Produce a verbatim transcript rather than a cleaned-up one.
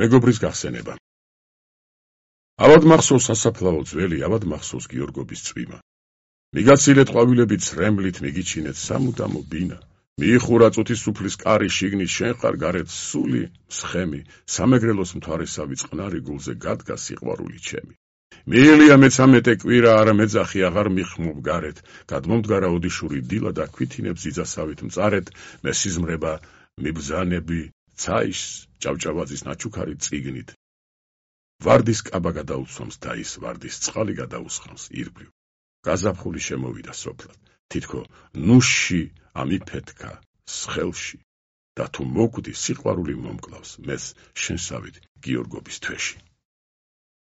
მეგობრის გახსენება. ავად მახსოვს სასაფლაო ძველი, ავად მახსოვს გიორგობის წვიმა. მიგაცილეთ ყვავილებით სრემლით, მიგიჩინეთ სამუდამო ბინა. მიიხურა წუთის სუფლის კარი შიგნით, შენ ხარ გარეთ სული, მსხემი, სამეგრელოს მთვარესავი წყნარი გულზე გადგა სიყვარული ჩემი. მიელია მეცამეტე კვირა, არა მეძახი აღარ მიხმობ გარეთ, გადმომდგარა ოდიშური დილა და ქვითინებს იძასავით მწარეთ, მე სიზმრება მიბრძანები ცაის ჭავჭავაძის ნაჩუქარი წიგნით. ვარდის კაბა გადაუცვამს და ის ვარდის წყალი გადაუსხამს ირგვლივ. გაზაფხული შემოვიდა სოფლად, თითქო ნუში ამიფეთქა სხელში და თუ მოკვდი სიყვარული მომკლავს მეც შენსავით გიორგობის თვეში.